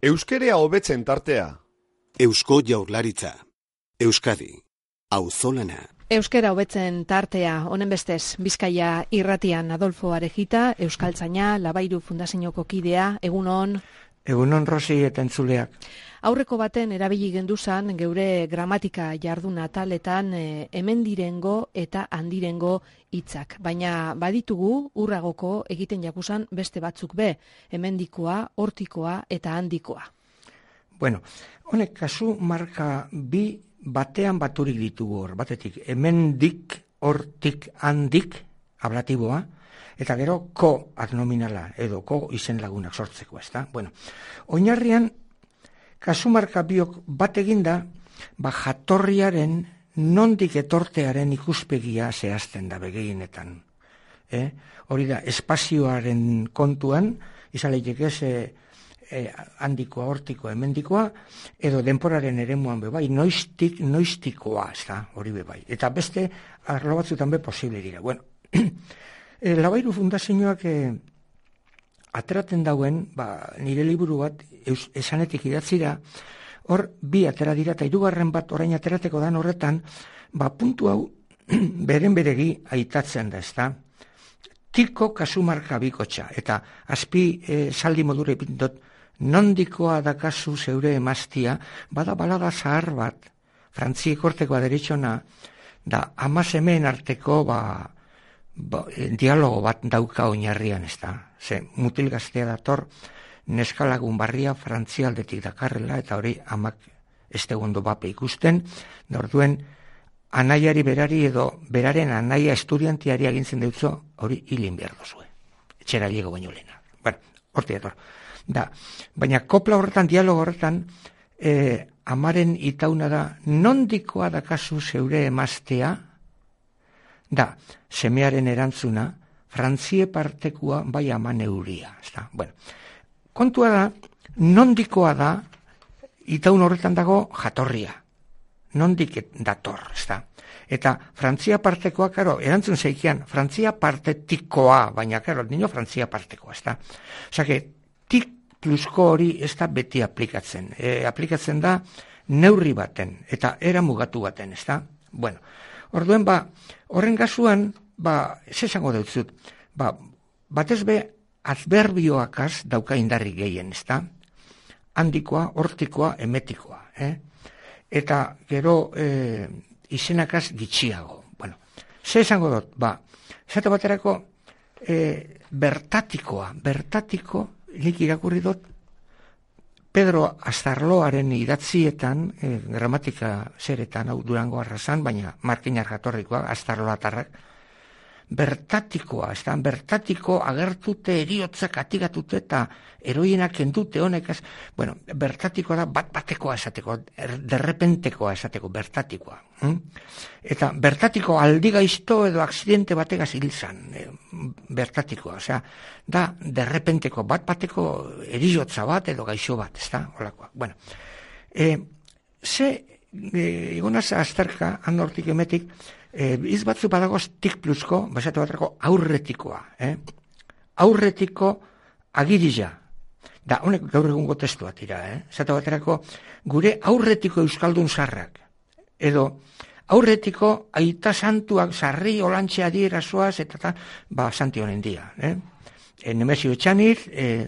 Euskerea hobetzen tartea. Eusko Jaurlaritza. Euskadi. Auzolana. Euskera hobetzen tartea, honen bestez, Bizkaia irratian Adolfo Arejita, Euskaltzaina, Labairu Fundazioko kidea, egunon. Egunon Rosi eta entzuleak. Aurreko baten erabili genduzan, geure gramatika jardun ataletan hemendirengo eta handirengo hitzak. Baina baditugu urragoko egiten jakusan beste batzuk be, hemendikoa, hortikoa eta handikoa. Bueno, honek kasu marka bi batean baturik ditugu hor, batetik hemendik, hortik, handik, ablatiboa, eta gero ko adnominala edo ko izen lagunak sortzeko, ezta? Bueno, oinarrian kasumarka biok bat eginda, jatorriaren nondik etortearen ikuspegia zehazten da begehienetan. Hori da, espazioaren kontuan, izan lehitek handikoa, hortikoa, hemendikoa, edo denporaren eremuan bebai, noiztikoa, ez da, hori bebai. Eta beste, arlo batzutan be posible dira. Bueno, Labairu Fundazioak ateraten dauen, nire liburu bat, esanetik idatzira, hor bi atera dira, eta hirugarren bat orain aterateko dan horretan, puntu hau beren beregi aitatzen da, ez da, tiko kasumarka bikotxa, eta azpi saldi modure ipintot, nondikoa dakazu zeure emaztia, bada balada zahar bat, frantziek hortekoa deritxona, da amazemeen arteko dialogo bat dauka oinarrian, ez da. Ze mutil gaztea dator, neskalagun barria frantzialdetik dakarrela, eta hori amak ez tegondo bape ikusten, da orduen anaiari berari edo beraren anaia estudiantiari agintzen deutzo, hori hilin behar dozue. Etxera liego baino lehena. Bueno, horti dator. Baina kopla horretan, dialogo horretan, amaren itauna da, nondikoa dakazu zeure emaztea, da, semearen erantzuna, frantzie partekua bai aman euria. Bueno, kontua da, nondikoa da, itaun horretan dago jatorria. Nondik dator, ez da. Eta Frantzia partekoa, karo, erantzun zeikian, Frantzia partetikoa, baina, karo, nino Frantzia partekoa, ez da. Osake, tik plusko hori ez da beti aplikatzen. Aplikatzen da neurri baten, eta era mugatu baten, ez da. Bueno, orduen, horren kasuan, ez esango deutzut, batez be, adverbioakaz dauka indarri gehien, ez da. Handikoa, hortikoa, emetikoa, eta gero izenakaz gitxiago. Bueno, ze esango dut, esate baterako bertatiko, nik irakurri dut, Pedro Astarloaren idatzietan, gramatika zeretan, hau Durango arrazan, baina Martinar jatorrikoa, Astarloatarrak, bertatikoa, ez da, bertatiko agertute eriotzak atigatute eta eroienak endute honekaz, bueno, bertatikoa da batekoa esateko, derrepentekoa esateko, bertatikoa. Eta bertatiko aldigaizto edo aksidente bategaz hilzan, bertatikoa, osea, da derrepenteko bateko eriotza bat edo gaixo bat, ez da, holakoa. Bueno, egonaz azterka, handortik emetik, iz batzu badagoz tik plusko, basatu baterako aurretikoa. Aurretiko agirila. Da, honek gaur egungo testu bat dira. Zatu baterako gure aurretiko euskaldun sarrak. Edo aurretiko aita santuak sarri olantxe adierazoaz eta santi honen dia. Nemesio Etxanir,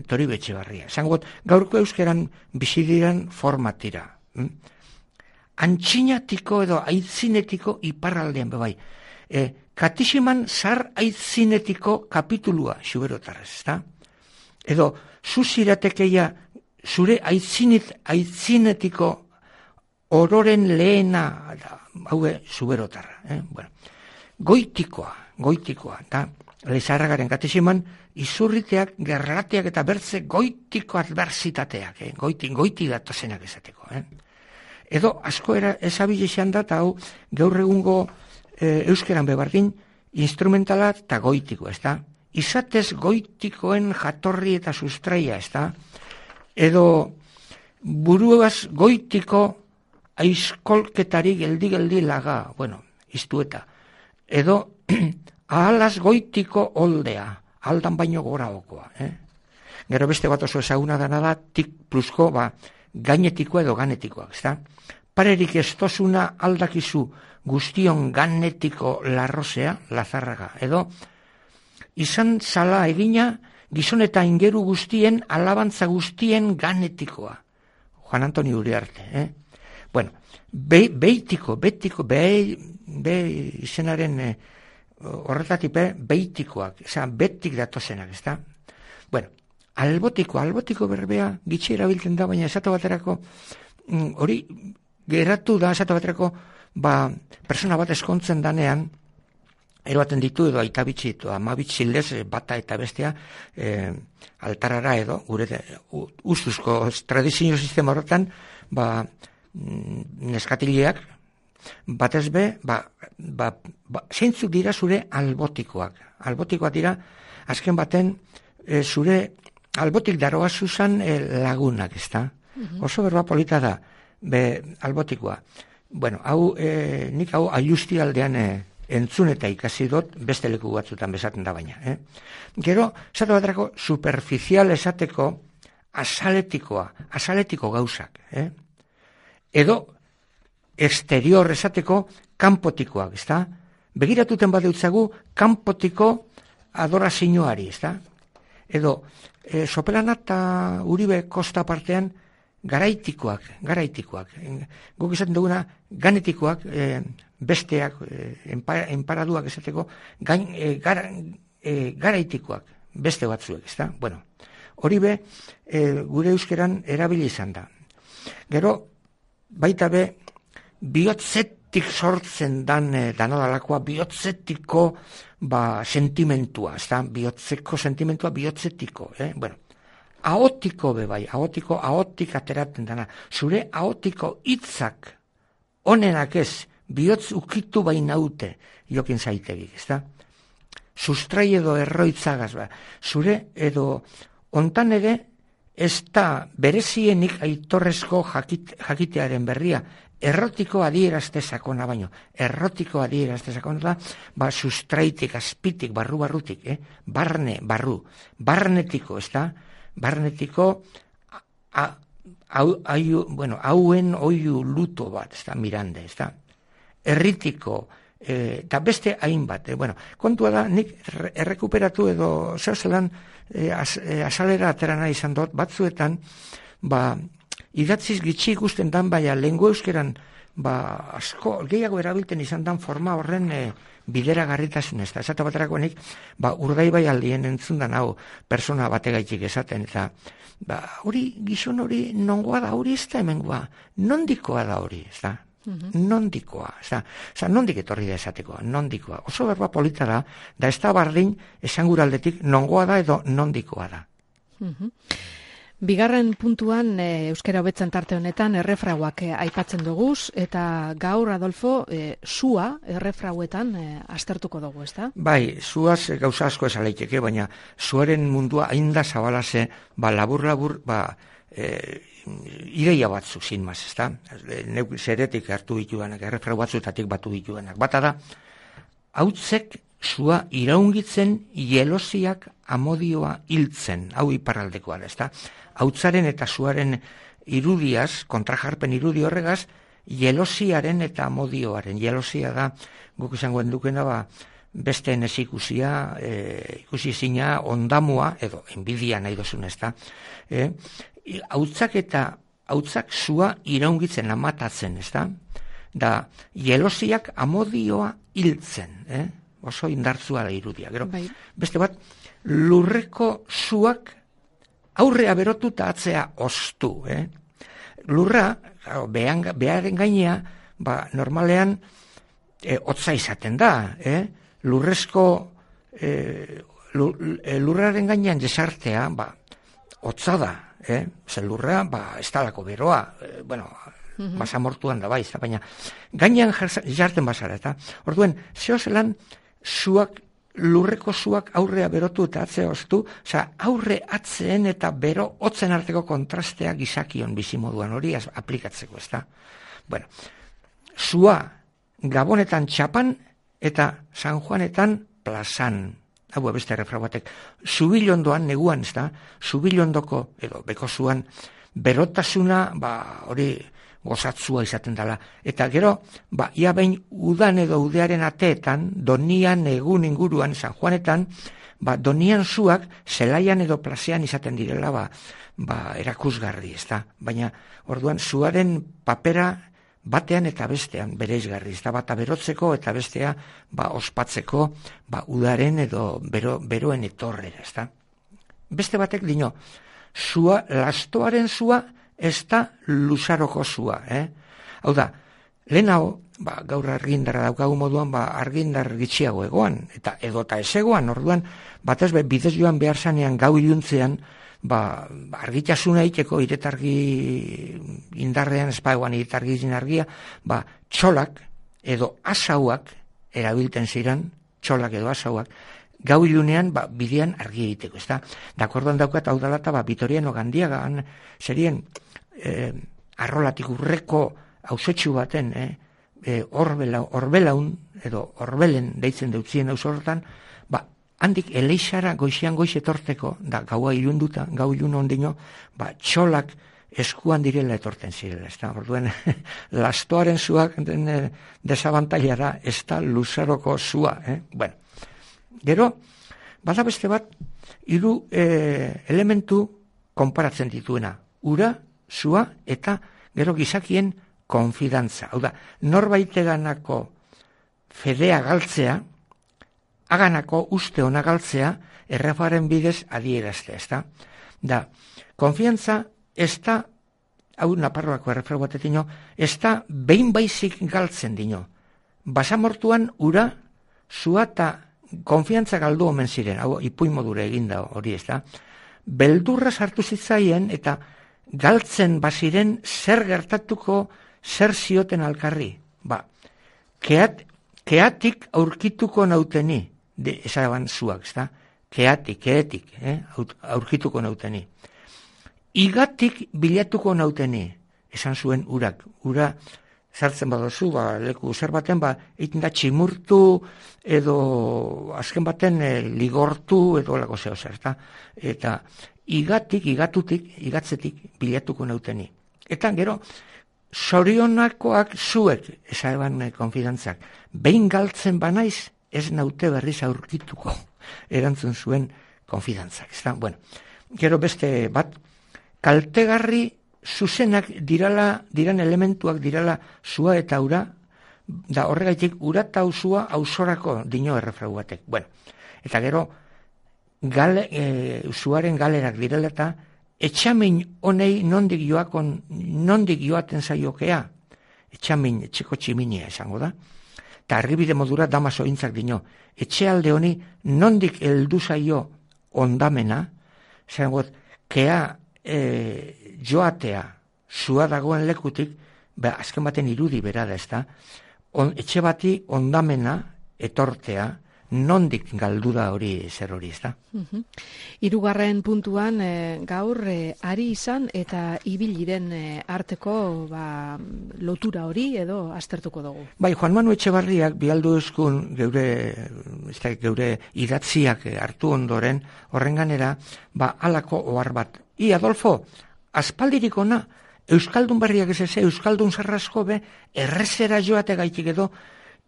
Toribe Etxebarria. Zangot, gaurko euskeran bizidiran format dira. Antxinatiko edo aitzinetiko iparraldean bebai. Katiximan zar aitzinetiko kapitulua xuberotarrez, ezta? Edo, zuziratekeia zure aitzinetiko ororen lehena, haue, xuberotarra. Bueno, goitikoa, da, lezarragaren katiximan, izurriteak, gerrateak eta bertze goitiko adversitateak, goiti datozenak esateko, Edo, asko ezabile izan da, eta hau, gaur egungo euskeran bebardin, instrumentala eta goitiko, ez da? Izatez goitikoen jatorri eta sustraia, ez da? Edo, buruaz goitiko aizkolketari geldi laga, bueno, iztueta. Edo, ahalaz goitiko oldea, aldan baino gora okoa, Gero beste bat oso ezaguna dana da, tik plusko, gainetikoa edo ganetikoa, ezta? Parerik ez tozuna aldakizu guztion ganetiko larrosea, lazarraga, edo izan zala egina gizon eta ingeru guztien, alabantza guztien ganetikoa. Juan Antoni Uriarte, Bueno, betiko, izenaren horretatik beitikoak, betik datozenak, ezta? Bueno, albotiko berbea gitxi erabiltzen da, baina esatu baterako, hori geratu da esatu baterako, persona bat eskontzen danean, eroaten ditu edo aita bitxi, ama bitxilez bata eta bestea altarara edo, gure ustuzko tradizio sistema horretan, neskatileak, batez be, zeintzuk dira zure albotikoak. Albotikoak dira, azken baten, zure albotik daroa zuzan lagunak, ezta? Oso berba polita da, albotikoa. Bueno, nik hau aiusti aldean entzun eta ikasi dut, beste leku batzutan bezaten da baina. Gero, esatu baterako, superficial esateko asaletiko gauzak. Edo, exterior esateko kanpotikoak, ezta? Begiratuten badeutzagu kanpotiko adorazioari, ezta? Edo, Sopelana eta Uribe Kosta partean garaitikoak. Guk esaten duguna ganetikoak, besteak, enparaduak esateko, garaitikoak, beste batzuek, ezta? Bueno, hori gure euskeran erabili izan da. Gero, baita bihotzetik sortzen danadalakoa, bihotzetiko sentimentua, ezta? Bihotzeko sentimentua, bihotzetiko, Bueno, ahotiko ahotik ateratzen dana. Zure ahotiko hitzak onenak ez, bihotz ukitu bainaute, jokin zaitegik, ezta? Sustrai edo erroitzagaz, zure edo ontan ere, ez da berezienik aitorrezko jakitearen berria, errotiko adierazte sakona baino. Errotiko adierazte sakona da, sustraitik, azpitik, barrutik, barnetiko, ez da? Barnetiko, hauen oiu luto bat, ez da, Mirande, ez da? Erritiko, eta beste hainbat, kontua da, nik errekuperatu edo zelan asalera aterana izan dut, batzuetan, idatziz gitxi ikusten dan, lehengo euskeran, asko, gehiago erabilten izan dan forma horren bidera garritasun ez da. Esate baterako nik, Urdaibai aldien entzun dan hau, persona bategaitik esaten, eta hori, gizon hori, nongoa da hori ez da hemengoa, nondikoa da hori, ez da. Nondikoa, nondik etorri da esateko, nondikoa. Oso berba polita da ez da bardin esanguraldetik nongoa da edo nondikoa da. Bigarren puntuan, euskara hobetzen tarte honetan, errefrauak aipatzen duguz, eta gaur, Adolfo, sua errefrauetan aztertuko dugu, ez da? Bai, suaz gauza asko esaleiteke, baina suaren mundua ainda zabalaze, labur, ideia batzu, sin maz, ez da? Neuk zeretik hartu dituenak, errefrau batzutatik batu dituenak. Bata da, hautzek sua iraungitzen, jelosiak amodioa hiltzen, hau iparraldekoa da, ez da? Hautzaren eta suaren irudiaz, kontrajarpen irudi horregaz, jelosiaren eta amodioaren. Jelosia da, guk izangoen dukena, beste nezikusia, ikusizina, ondamua, edo enbidia nahi dozun, ez da? Hautzak sua iraungitzen, amatatzen, ez da? Da, jelosiak amodioa hiltzen, oso indartzua da irudia. Gero, beste bat, lurreko suak aurrea berotu eta atzea oztu. Lurra, beharen gainea, normalean, hotza izaten da. Lurrezko, lurraren gainean jesartea, hotza da. Zer lurra, ez talako beroa, basamortuan da bai, baina gainean jarten bazara, eta orduen, zeo zelan suak, lurreko suak aurrea berotu eta atzea oztu, aurre atzeen eta bero hotzen arteko kontrastea gizakion bizimoduan hori aplikatzeko, ez da? Bueno, sua Gabonetan Txapan eta San Juanetan plazan. hau beste errefra batek, zubilondoan, neguan, ez da, zubilondoko, edo bekozuan, berotasuna, hori gozatzua izaten dela. Eta gero, ia behin udan edo udearen ateetan, Donian egun inguruan, San Juanetan, Donian zuak zelaian edo plazean izaten direla, erakusgarri, ez da. Baina, orduan, zuaren papera batean eta bestean bereizgarri, ez da, bata berotzeko eta bestea ospatzeko udaren edo beroen etorrera, ez da. Beste batek dino, lastoaren zua ez da luzaroko zua, Hau da, lehenago, gaur argindarra daukagu moduan, argindar gitxiago egoan, eta edota ez egoan, orduan, batez bidez joan behar zanean gau iluntzean, argitasuna iteko, iretargi indarrean, espaiguan iretargi argia, txolak edo asauak erabilten ziren, txolak edo asauak, gau ilunean, bidean argi egiteko, ez da? Dakordoan daukat, hau dalata, Vitoriano Gandiagan, zerien, arrolatik urreko hausotxu baten, orbelaun, edo orbelen deitzen deutzien haus horretan, handik eleixara goizean goiz etorteko, da gaua ilunduta, gau ilun ondino, txolak eskuan direla etorten zirela, ez da? Orduen, lastoaren zuak desabantailara, ez da luzaroko zua, Bueno, gero, bada beste bat, hiru elementu konparatzen dituena, ura, zua, eta gero gizakien konfidantza. Hau da, norbaiteganako fedea galtzea, haganako uste ona galtzea, errefaren bidez adieraztea, ez da? Da, konfiantza ez da, hau Naparroako errefero batetino, ez da behin baizik galtzen dino. Basamortuan ura, zua eta konfiantza galdu omen ziren, hau ipuin modura eginda hori, ez da? Beldurra sartu zitzaien eta galtzen baziren zer gertatuko, zer zioten alkarri. Keatik aurkituko nauteni, esaban zuak, ez da? Keetik, aurkituko nauteni. Igatik bilatuko nauteni, esan zuen urak. Ura sartzen badozu, leku zer baten, egiten da tximurtu edo azken baten ligortu edo lako zeo zer, eta igatzetik bilatuko nauteni. Eta gero, zorionakoak zuek, esaban konfidantzak, behin galtzen banaiz, ez naute berriz aurkituko, erantzun zuen konfidantzak. Bueno, gero beste bat, kaltegarri zuzenak diran elementuak dirala zua eta ura, da horregaitik ura eta zua ausorako dino errefrau batek. Bueno, eta gero, zuaren galerak direla eta etxamin honei nondik joaten zaiokea, etxamin, etxeko tximinia esango da, eta arribide modura damaso intzak dino, etxealde honi nondik heldu zaio ondamena, zangot, kea joatea zua dagoen lekutik, azken baten irudi bera da, ez da, etxe bati ondamena etortea, nondik galdu da hori zer hori, ez da? Hirugarren puntuan gaur ari izan eta ibiliren arteko lotura hori edo aztertuko dugu. Bai, Juan Manu Etxebarriak bialdu euskun geure idatziak hartu ondoren, horrenganera, halako ohar bat. Adolfo, aspaldirik ona, Euskaldun Berriak ez eze, Euskaldun Zarrasko errezera joate gaitik edo,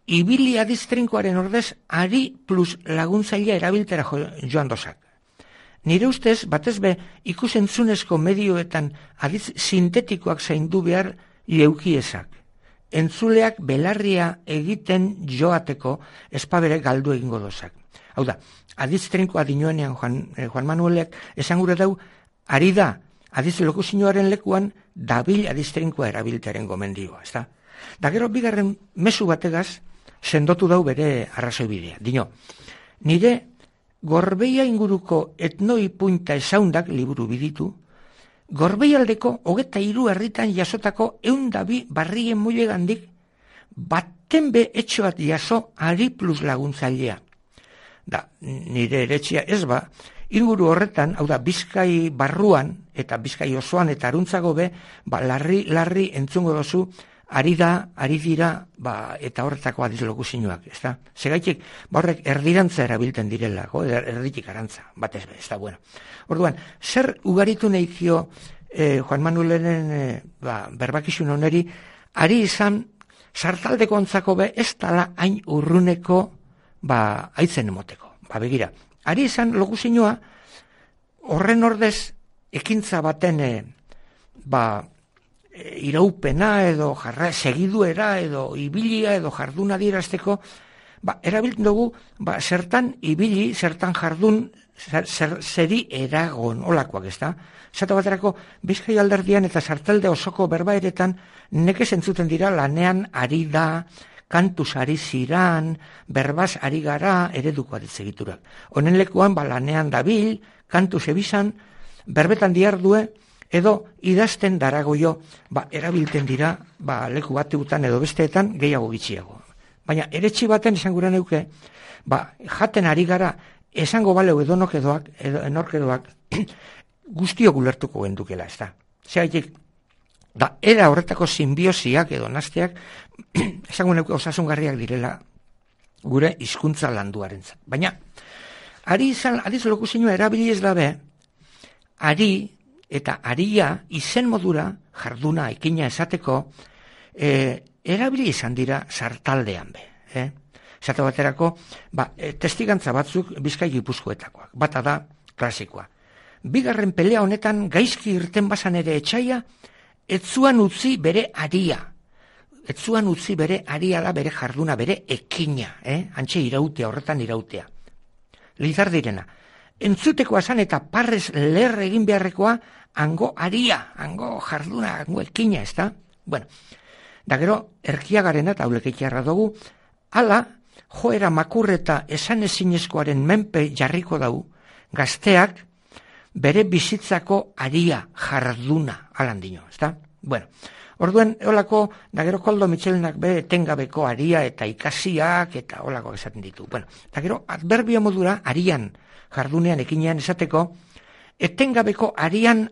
ibili adiztrinkoaren ordez, ari plus laguntzailea erabiltera joan dozak. Nire ustez, batez ikusentzunezko medioetan adiz sintetikoak zaindu behar leukiezak. Entzuleak belarria egiten joateko espabere galdu egingo dozak. Hau da, adiztrinkoa dinoenean Juan Manuelek esan gure dau, ari da, adiz lokuzioaren lekuan, dabil adiztrinkoa erabiltearen gomendioa, ez da? Da gero, bigarren mezu bategaz, sendotu dau bere arrazoi bidea. Dino, nire Gorbeia inguruko etnoi punta esaundak liburu biditu, Gorbeialdeko 23 herritan jasotako 102 barrien mulegandik baten etxoat jaso ari plus laguntzailea. Da, nire eretxia ez inguru horretan, hau da, Bizkai barruan eta Bizkai osoan eta aruntzago larri entzungo dozu ari dira, eta horretako adiz lokuzioak, ez da? Segaitik, horrek erdirantza erabilten direla, erditik arantza, batez be, ez da, bueno. Orduan, zer ugaritu nahikio Juan Manuelen berbakizun oneri, ari izan, sartaldeko ontzako be, ez dala hain urruneko, aitzen emoteko. Begira, ari izan lokuzioa, horren ordez, ekintza baten, iraupena edo segiduera edo ibilia edo jarduna dirazteko, erabiltzen dugu, zertan ibili, zertan jardun, zeri eragon, olakoak, ez da? Zata baterako, Bizkai alderdian eta sartalde osoko berbaeretan nekez entzuten dira lanean ari da, kantuz ari ziran, berbaz ari gara, ereduko aditzegiturak. Honen lekuan, lanean dabil, kantuz ebizan, berbetan diardue, edo idazten daragoio, erabilten dira, leku bategutan edo besteetan gehiago gitxiago. Baina, eretxi baten esan gura neuke, jaten ari gara, esango baleu enorkedoak, guztiok ulertuko gendukela, ez da. Zeraitik, era horretako sinbiosiak edo nasteak, esango neuke osasungarriak direla gure hizkuntza landuarentzat. Baina, adiz lokuzioa erabili ez dabe, ari eta aria izen modura, jarduna, ekina esateko, erabili izan dira sartaldean be. Esate baterako, testigantza batzuk Bizkai Gipuzkoetakoak. Bata da, klasikoa. Bigarren pelea honetan gaizki irten bazan ere etxaia, etzuan utzi bere aria. Etzuan utzi bere aria da bere jarduna, bere ekina. Antxe irautea, horretan irautea. Lizar direna. Entzuteko asan eta parrez ler egin beharrekoa, hango aria, hango jarduna, hango ekina, ez da? Bueno, da gero, erkiagarena eta aulekeiarra dugu, ala, joera makurreta esan ezinezkoaren menpe jarriko dau, gazteak bere bizitzako aria, jarduna, alan dino, ez da? Bueno, orduen, holako, da gero Koldo Mitxelenak be etengabeko aria eta ikasiak eta holako esaten ditu. Bueno, da gero, adverbio modura, arian, jardunean ekinean esateko, etengabeko arian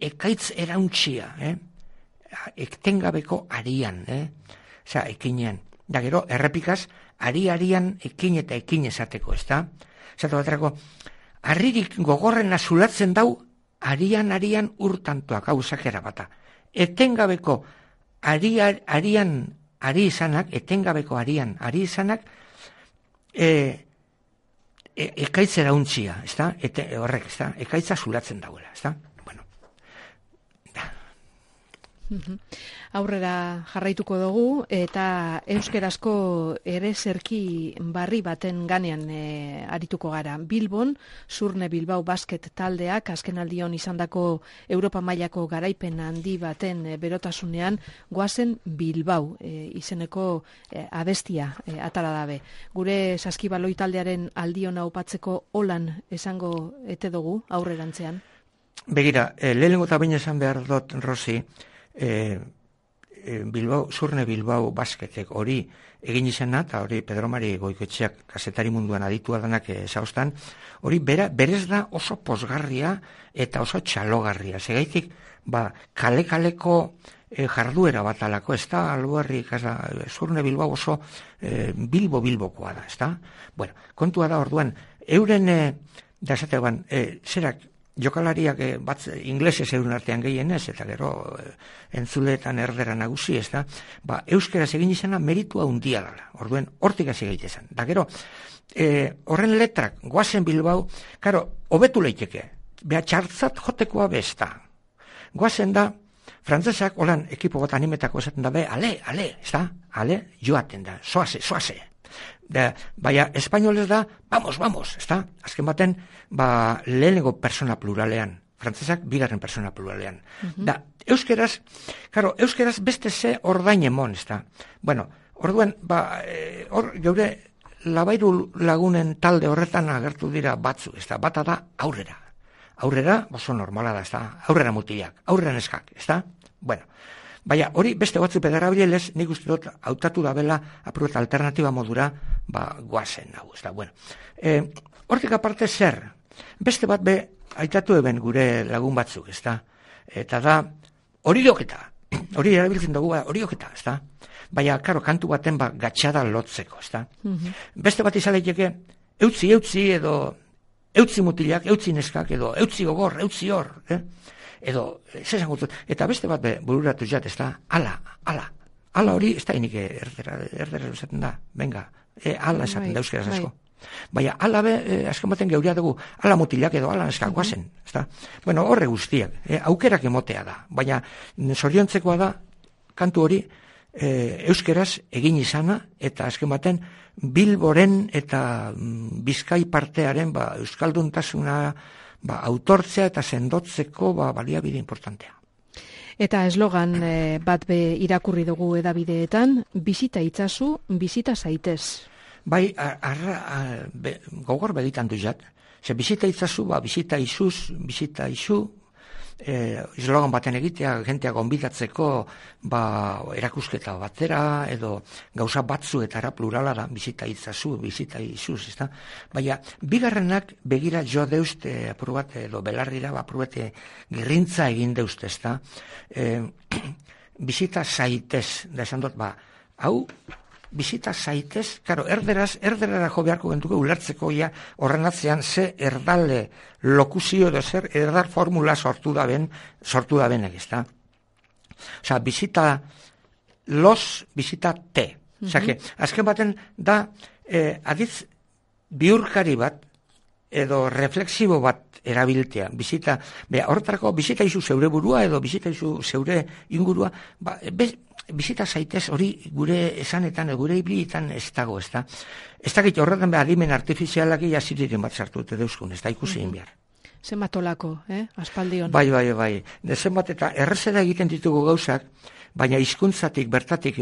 ekaitz erauntxia, etengabeko arian, oza, ekinean. Da gero, errepikaz, arian ekin eta ekin esateko, ez da? Esatu baterako, harririk gogorren azulatzen dau, arian urtantuak, hau zakera bata. Etengabeko ari izanak, ekaitz erauntxia, ez da? Horrek, ez da? Ekaitza zulatzen dauela, ez da? Bueno. Aurrera jarraituko dugu eta euskerazko ereserki barri baten ganean arituko gara. Bilbon, Surne Bilbao basket taldeak azkenaldion izandako Europa mailako garaipen handi baten berotasunean goazen Bilbao izeneko abestia atara dabe. Gure saskibaloi taldearen aldiona opatzeko holan esango ete dugu aurrerantzean? Begira, lehenengo eta baina esan behar dut, Rosi, Surne Bilbao basketek hori egin izena, eta hori Pedro Mari Goikoetxeak kazetari munduan aditua danak zauztan, hori berez da oso posgarria eta oso txalogarria. Segaitik, kale-kaleko jarduera bat alako, ez da, alboarri, Surne Bilbao oso Bilbokoa da, ez da? Bueno, kontua da orduan, euren, da esatean, zerak, jokalariak inglesez euren artean gehienez, eta gero entzuleetan erdera nagusi, ez da, euskeraz egin izena meritua handia dela, orduen hortik hasi egiten. Da gero, horren letrak, goazen Bilbao, karo, hobetu leiteke, beha txartzat jotekoa besta. Goazen da, frantzesak, holan, ekipo bat animetako esaten da, ale, ez da, ale, joaten da, soase. Baina, espainolez da, vamos, ez da? Azken baten, lehenengo persona pluralean, frantzesak bigarren persona pluralean. Da, euskeraz beste ze ordain emon, ez da? Bueno, orduan, geure Labairu lagunen talde horretan agertu dira batzu, ez da? Bata da, aurrera, oso normala da, ez da? Aurrera mutilak, aurrera neskak, ez da? Bueno, baina, hori beste batzu pedarabilez, nik uste dut hautatu da bela apurreta alternatiba modura, goazen, hau, ez da, bueno. Hortik aparte zer, beste bat aitatu eben gure lagun batzuk, ez da, eta da, hori doketa, hori erabiltzen dugu, horioketa, ez da? Baina, karo, kantu baten gatxada lotzeko, ez da? Beste bat izaleiteke, eutzi edo, eutzi mutilak, eutzi neskak, edo, eutzi gogor, eutzi hor, edo, zesan gutzu, eta beste bat bururatu jat, ez da? Ala hori, ez da inik erdera esaten da, venga, ala esaten da euskeraz asko. Baina, ala azken baten geurea dugu, ala mutilak edo ala neskak guazen, ez da? Bueno, horre guztiak, aukerak emotea da, baina zoriontzekoa da, kantu hori, euskeraz egin izana, eta azken baten Bilboren eta Bizkai partearen euskalduntasuna autortzea eta sendotzeko baliabide importantea. Eta eslogan bat irakurri dugu edabideetan, bisita itzazu, bisita zaitez. Bai, gogor begitan duzat. Ze bisita itzazu, bisita izu, eslogan baten egitea, jentea gonbidatzeko erakusketa batera, edo gauza batzuetara plurala da, bisita itzazu, bisita izuz, ez da? Baina, bigarrenak begira jo deust, apur bat, edo belarrira, apur bat, girrintza egin deust, ez da? Bisita zaitez, da esan dut, hau, bisita zaitez, karo, erderara jo beharko gentuko ulertzeko horren atzean ze erdale lokuzio edo zer erdar formula sortu da ben ez da? Osa, bisita los, bisita te. Osa, azken baten da aditz biurkari bat edo reflexibo bat erabiltea. Horretarako, bisita izu zeure burua edo bisita izu zeure ingurua, bisita zaitez hori gure esanetan, gure ibilietan ez dago, ez da? Ez dakit horretan adimen artifizialak jaziriren bat sartu dute deuzkun, ez da ikusi egin behar. Zenbat olako, aspaldion. Bai. Zenbat eta errezera egiten ditugu gauzak, baina hizkuntzatik bertatik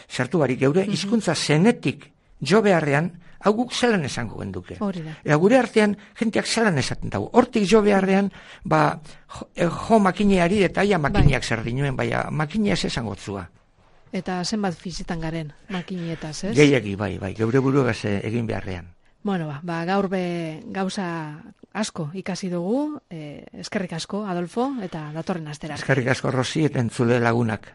sartu barik, geure hizkuntza zenetik jo beharrean, hau guk zelan esango genduke. Eta gure artean, jenteak zelan esaten dago. Hortik jo beharrean, jo makineari eta aia makineak zer dinuen, baina makineaz esango zua. Eta zenbat fizitan garen makineetaz, ez? Gehiagi, bai, geure buruagaz egin beharrean. Bueno, gaur gauza asko ikasi dugu, eskerrik asko, Adolfo, eta datorren astera. Eskerrik asko, Rosi, eta entzule lagunak.